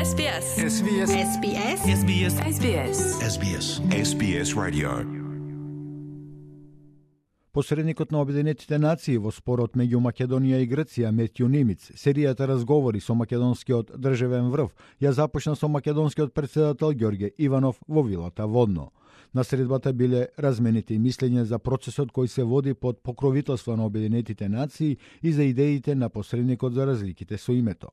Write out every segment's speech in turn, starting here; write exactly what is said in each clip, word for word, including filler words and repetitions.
S B S. S B S. S B S. S B S. S B S. S B S. S B S Radio. Посредникот на Обединетите нации во спорот меѓу Македонија и Грција Метју Нимиц, серијата разговори со македонскиот државен врв ја започна со македонскиот председател Ѓорѓе Иванов во вилата Водно. На средбата биле размените мислења за процесот кој се води под покровителство на Обединетите нации и за идеите на посредникот за разликите со името.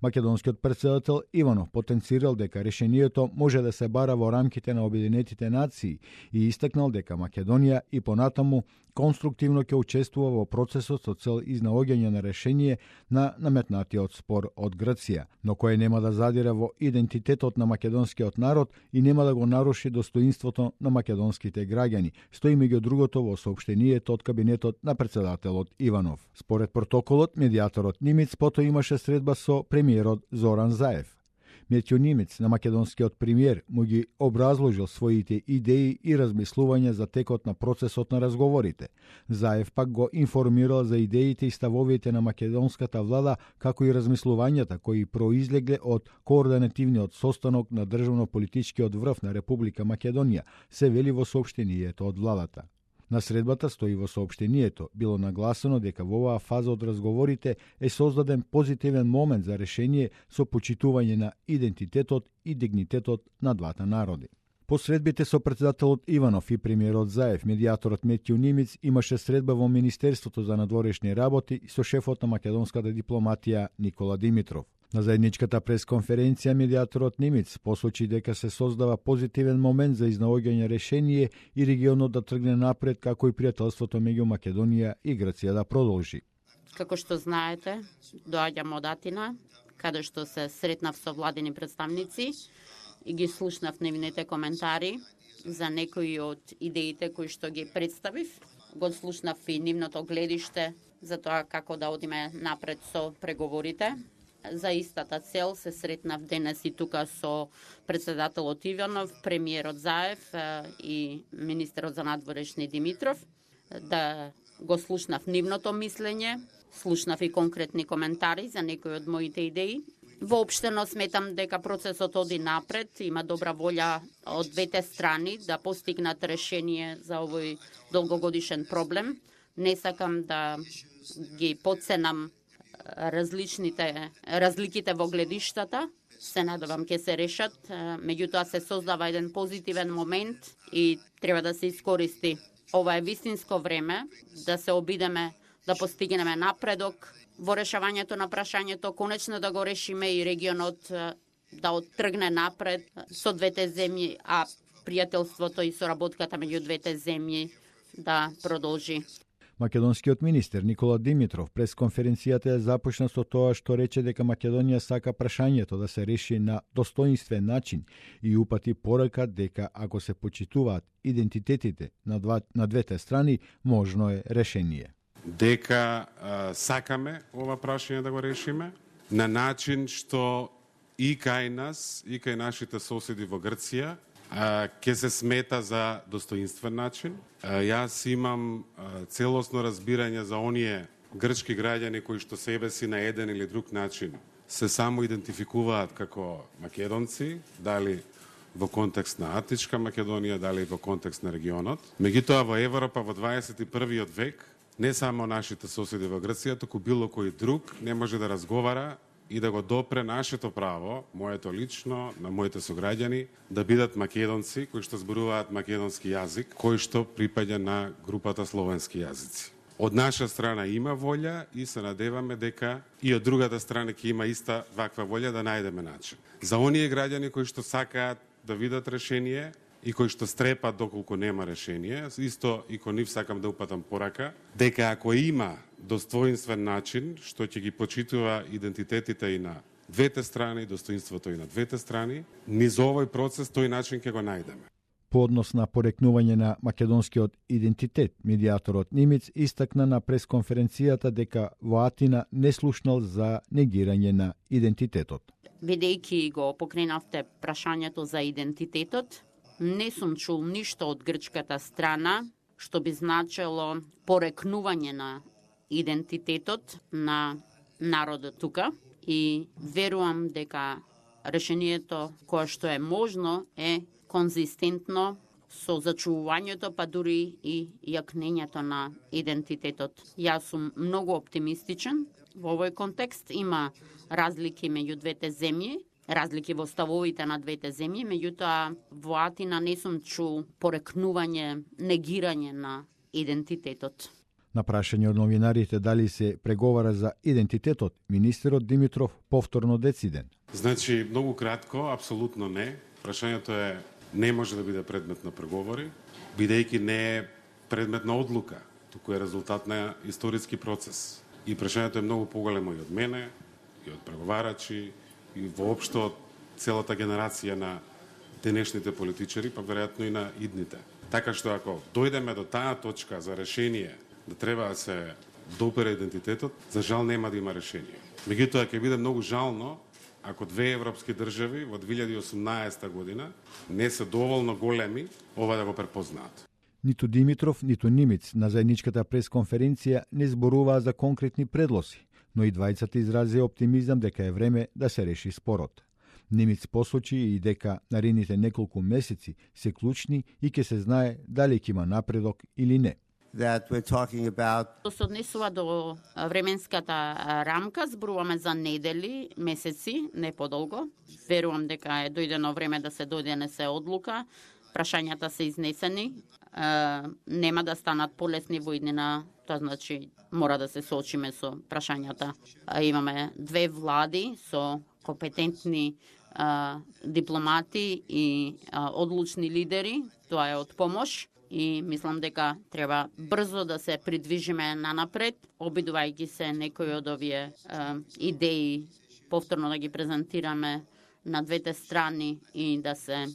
Македонскиот председател Иванов потенцирал дека решението може да се бара во рамките на Обединетите нации и истакнал дека Македонија и понатаму конструктивно ќе учествува во процесот со цел изнаоѓање на решение на наметнатиот спор од Грција, но кој нема да задира во идентитетот на македонскиот народ и нема да го наруши достоинството на македонските граѓани, стои меѓу другото во соопштенијето од кабинетот на председателот Иванов. Според протоколот, медијаторот Нимиц потоа имаше средба со премиерот Зоран Заев. Метју Нимиц на македонскиот премиер му ги образложил своите идеи и размислувања за текот на процесот на разговорите. Заев пак го информирал за идеите и ставовите на македонската влада, како и размислувањата кои произлегле од координативниот состанок на државно-политичкиот врв на Република Македонија, се вели во соопштенијето од владата. На средбата, стои во соопштенијето, било нагласено дека во оваа фаза од разговорите е создаден позитивен момент за решение со почитување на идентитетот и дигнитетот на двата народи. По средбите со председателот Иванов и премиерот Заев, медијаторот Метју Нимиц имаше средба во Министерството за надворешни работи со шефот на македонската дипломатија Никола Димитров. На заедничката пресконференција медијаторот Нимиц посочи дека се создава позитивен момент за изнаоѓање решение и регионот да тргне напред, како и пријателството меѓу Македонија и Грција да продолжи. Како што знаете, доаѓам од Атина, каде што се сретнав со владини представници и ги слушнав нивните коментари за некои од идеите кои што ги представив. Го слушнав и нивното гледиште за тоа како да одиме напред со преговорите. За истата цел се сретнав денес и тука со председателот Иванов, премиерот Заев и министерот за надворешни Димитров, да го слушнав нивното мислење, слушнав и конкретни коментари за некои од моите идеи. Воопштено сметам дека процесот оди напред, има добра волја од двете страни да постигнат решение за овој долгогодишен проблем. Не сакам да ги подценам различните разликите во гледиштата, се надевам ќе се решат, меѓутоа се создава еден позитивен момент и треба да се искористи. Ова е вистинско време да се обидеме да постигнеме напредок во решавањето на прашањето, конечно да го решиме и регионот да оттргне напред со двете земји, а пријателството и соработката меѓу двете земји да продолжи. Македонскиот министер Никола Димитров през конференцијата ја започна со тоа што рече дека Македонија сака прашањето да се реши на достоинствен начин и упати порака дека ако се почитуваат идентитетите на, два, на двете страни, можно е решение. Дека а, сакаме ова прашање да го решиме на начин што и кај нас, и кај нашите соседи во Грција ќе се смета за достоинствен начин. Јас имам целосно разбирање за оние грчки граѓани кои што себе си на еден или друг начин се само идентификуваат како македонци, дали во контекст на Атичка Македонија, дали во контекст на регионот. Меѓутоа во Европа во дваесет и првиот век не само нашите соседи во Грција, туку било кој друг не може да разговара и да го допре нашето право, моето лично, на моите сограѓани, да бидат македонци кои што зборуваат македонски јазик, кој што припаѓа на групата словенски јазици. Од наша страна има волја и се надеваме дека и од другата страна ќе има иста ваква волја да најдеме начин. За оние граѓани кои што сакаат да видат решение и кои што стрепат доколку нема решение, исто и кон нив сакам да упатам порака, дека ако има достоинствен начин, што ќе ги почитува идентитетите и на двете страни, достоинството и на двете страни, низ овој процес тој начин ќе го најдеме. По однос на порекнување на македонскиот идентитет, медијаторот Нимиц истакна на пресконференцијата дека во Атина не слушнал за негирање на идентитетот. Бидејќи го покренавте прашањето за идентитетот, не сум чул ништо од грчката страна што би значело порекнување на идентитетот на народот тука и верувам дека решението кое што е можно е конзистентно со зачувувањето, па дури и јакнењето на идентитетот. Јас сум многу оптимистичен во овој контекст. Има разлики меѓу двете земји, разлики во ставовите на двете земји, меѓутоа во Атина не сум чул порекнување, негирање на идентитетот. На прашање од новинарите дали се преговара за идентитетот, министерот Димитров повторно дециден. Значи, многу кратко, апсолутно не. Прашањето е не може да биде предмет на преговори, бидејќи не е предмет на одлука, туку е резултат на историски процес. И прашањето е многу поголемо и од мене, и од преговарачи, и воопшто од целата генерација на денешните политичари, па веројатно и на идните. Така што ако дојдеме до таа точка за решение да треба да се допера идентитетот, за жал нема да има решение. Меѓутоа ќе биде многу жално ако две европски држави во две илјади и осумнаесета година не се доволно големи ова да го препознаат. Ниту Димитров, ниту Нимиц на заедничката пресконференција не зборуваа за конкретни предлози, но и двајцата изразија оптимизам дека е време да се реши спорот. Нимиц посочи и дека наредните неколку месеци се клучни и ќе се знае дали ќе има напредок или не. That we're talking about. Тоа се однесува до временската рамка, зборуваме за недели, месеци, не подолго. Верувам дека е дојдено време да се донесе одлука. Прашањата се изнесени, е, нема да станат полесни во иднина, тоа значи мора да се соочиме со прашањата. А, имаме две влади со компетентни а, дипломати и а, одлучни лидери, тоа е од помош. И мислам дека треба брзо да се придвижиме нанапред, обидувајќи се некои од овие е, идеи повторно да ги презентираме на двете страни и да се е,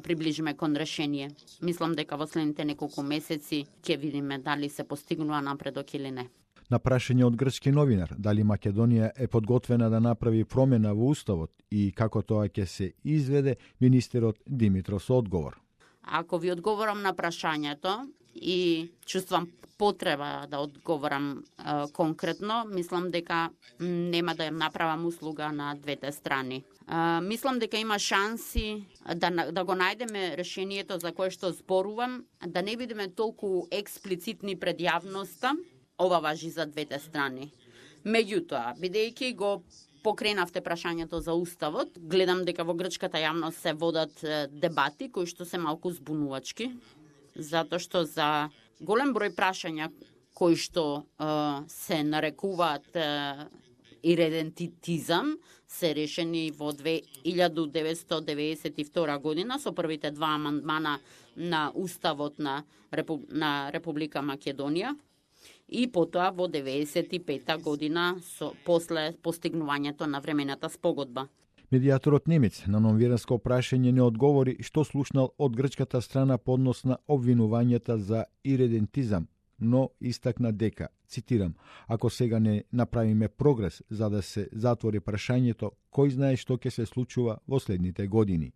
приближиме кон решение. Мислам дека во следните неколку месеци ќе видиме дали се постигнува напредок или не. На прашање од грчки новинар дали Македонија е подготвена да направи промена во уставот и како тоа ќе се изведе, министерот Димитров со одговор. Ако ви одговорам на прашањето и чувствам потреба да одговорам е, конкретно, мислам дека нема да направам услуга на двете страни. Е, мислам дека има шанси да, да го најдеме решението за кое што зборувам, да не бидеме толку експлицитни пред јавноста, ова важи за двете страни. Меѓутоа, бидејќи го покренавте прашањето за уставот, гледам дека во грчката јавност се водат дебати кои што се малку збунувачки, затоа што за голем број прашања кои што е, се нарекуваат е, иридентитизам се решени во две илјади деветстотини деветдесет и втора година со првите два амандмана на уставот на, Репу... на Република Македонија. И потоа во деветдесет и пета година со, после постигнувањето на времената спогодба. Медијаторот Немец на новинарско прашање не одговори што слушнал од грчката страна по однос на обвинувањата за иридентизам, но истакна дека, цитирам, ако сега не направиме прогрес за да се затвори прашањето, кој знае што ќе се случува во следните години.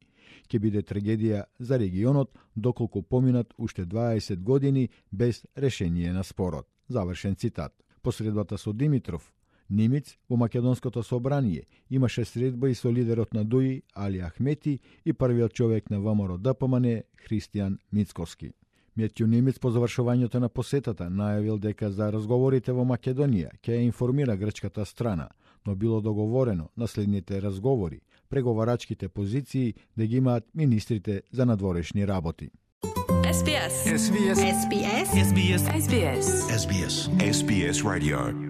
Ќе биде трагедија за регионот доколку поминат уште дваесет години без решение на спорот. Завршен цитат. Посредбата со Димитров, Нимиц во Македонското собрание имаше средба и со лидерот на ДУИ Али Ахмети и првиот човек на ВМРО Д П М Н Христијан Мицкоски. Метју Нимиц по завршувањето на посетата најавил дека за разговорите во Македонија ќе ја информира грчката страна, но било договорено на следните разговори, преговарачките позиции да ги имаат министрите за надворешни работи. S B S. S B S. S B S. S B S. S B S. S B S. S B S Radio.